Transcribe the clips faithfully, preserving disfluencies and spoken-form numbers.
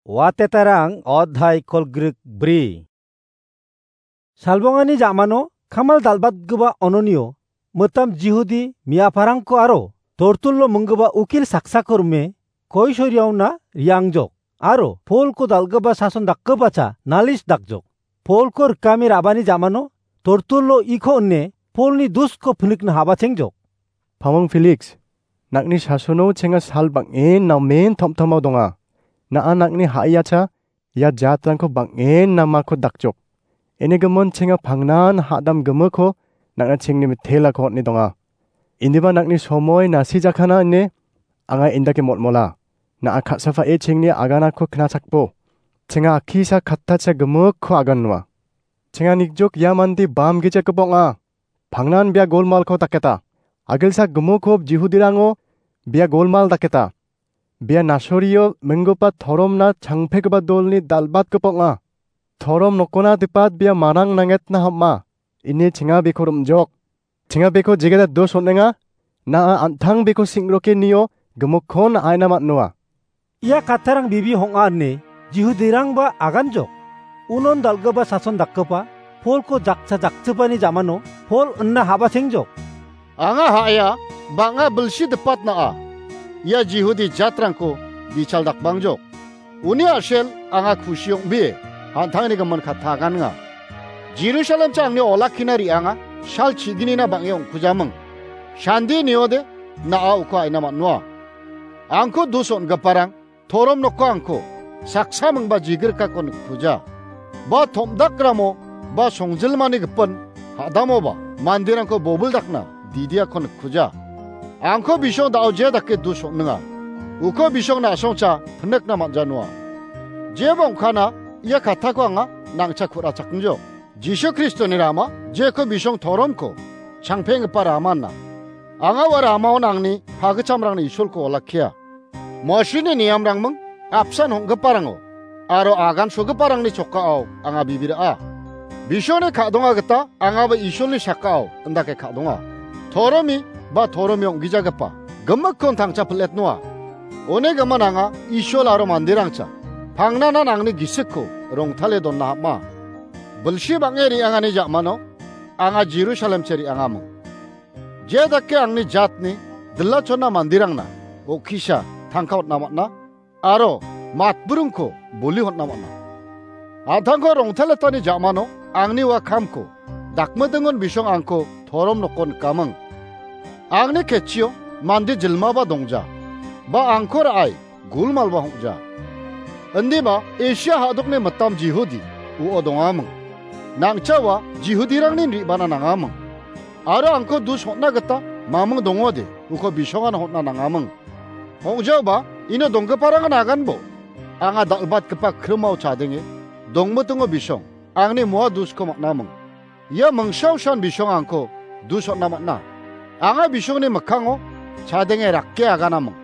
Watetarang odhai kolgrik bri. Salbongani jamano kamal dalbatgipa ononio mitam Jihudi miaparangko aro tortullo minggipa ukil saksako rime koisoriaona riangjok, aro Polko dal·gipa sason dakgipacha nalis dakjok. Polko rikame ra·bani jamano tortullo iko ine Polni dusko pinikna habachengjok. Pamong Feliks, nang·ni sasono chenga sal bang·en namen tomtomao donga. Na·a nang·ni ha·iacha ia jatrangko bang·en namako dakjok. Inigimin chenga pangnan ha·dam gimiko nang·na chengni mitelako on·e donga. Indiba nang·ni somoi nasijakana ine anga indake motmola. Na·a ka·safao chengni aganako knachakbo. Chenga akisa kattacha gimikko agan noa. Chenga nikjok ia mande bam gijekgipa ong·a. Pangnan bia golmalko daketa. Agilsa gimikko Jihudirango bia golmal daketa. Bia nasorio minggipa toromna changpegipa dolni dalbatgipa ong·a. Torom nokona dipat bia marang nangetna ham·a. Ine chenga beko rim·jok. Chenga beko jegeda dos on·enga. Na·a an·tang beko sing·roke nio gimikkon aina man·noa. Ia kattarang bibi hong·a ine Jihudirangba aganjok. Unon dal·gipa sason dakgipa Polko jakcha jakchipani jamano Pol ina habasengjok. Anga ha·aia, bang·a bilsi dipatna·a. Ia Jihudi jatrangko bichal dakbangjok. Uni a·sel anga kusi ong·bie, an·tangni gimin katta agannga. Jerusalemcha angni olakkina re·anga, sal chiginina bang·e ong·kujaming. Sandi niode, na·a uko aina man·noa. Angko dus on·giparang, torom nokko angko, saksa mingba jigirkako nikkuja. Ba tom·dakramo, ba songjilmani gipin, ha·damoba, manderangko bobil dakna, didiako nikkuja. Angko bisong da·o je dake dus on·ninga. Uko bisong na·songcha pinikna man·janoa. Jeba ong·kana ia kattako anga nangcha ku·rachakngjok. Jisu Kristoni rama jeko bisong toromko changpenggipa ramana. Anga ua ramaon angni pagichamrangni Isolko olakkia. Mosini niamrangming apsan hong·giparango aro agan sogiparangni chokao anga bibira·a. Bisongni ka·donga gita angaba Isolni sakao indake ka·donga. Toromi ba toromi ong·gijagipa gimikkon tangcha piletnoa. One gimin anga Isol aro manderangcha pangnanan angni gisikko rongtale donna ham·a. Bilsi bang·e re·angani ja·mano anga Jerusalemche re·angaming. Je dake angni jatni dilachonna manderangna okisa tangka on·na man·a, aro matburingko boli on·na man·a. An·tangko rongtaletani ja·mano angni ua kamko dakmidingon bisong angko torom nokon nikaming. Angni ketchio mande jilmaba dongja, ba angko ra·ai gulmalba hong·ja. Indiba Asia ha·dokni mitam Jihudi uo dongaming. Nangchawa Jihudirangni re·bana nangaming. Aro angko dus hon·na gita maming dongode, uko bisongan hon·na nangaming. Hong·jaoba ino donggiparangan aganbo anga dal·batgipa krimao chadenge dongmitingo bisong angni moa dusko man·aming. Ia mingsaosan bisong angko dus on·na man·a. Anga bisongni mikkango chadenge rake aganaming.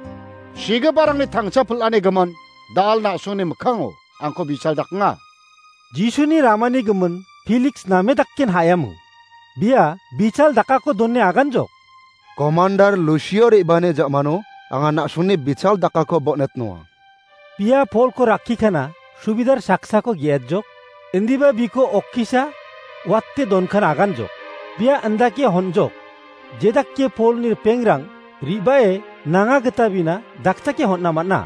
Sigiparangni tangcha pil·ani gimin dal na·songni mikkango angko bichal daknga. Jisuni ramani gimin Feliks name dakken ha·yamo. Bia bichal dakako done aganjok. Komandar Lusio re·bani ja·mano anga na·songni bichal dakako bon·etnoa. Bia Polko rakkikana subidar saksako ge·atjok, indiba biko okkisa wate donkana aganjok. Bia indake honjok, jedake Polni ripengrang re·bae nanga gita bina dakchake hon·na man·a.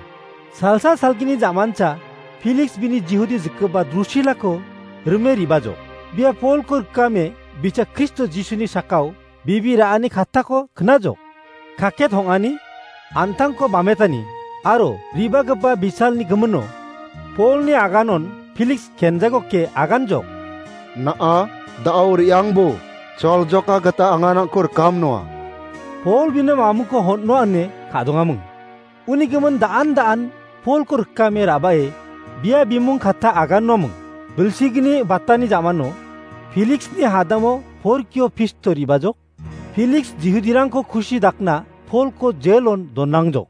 Salsa salgini ja·mancha Feliks bini Jihudi jikgipa Drusilako rime re·bajok. Bia Polko rikame bicha Kristo Jisuni sakao bibi ra·ani kattako knajok. Kaket hong·ani, an·tangko bametani, aro re·bagipa bichalni gimino Polni aganon Feliks kenjagoke aganjok. Na·a, da·o re·angbo, choljoka gita anga nangko rikamnoa. Pol bini mamungko hon·noa ine ka·dongaming. Uni gimin da·an da·an Polko rikame ra·bae bia bimung katta agannoaming. Bilsigni batani ja·mano Feliksni hadamo Porkio Pisto re·bajok. Feliks Jihudirangko kusi dakna Polko jelon donangjok.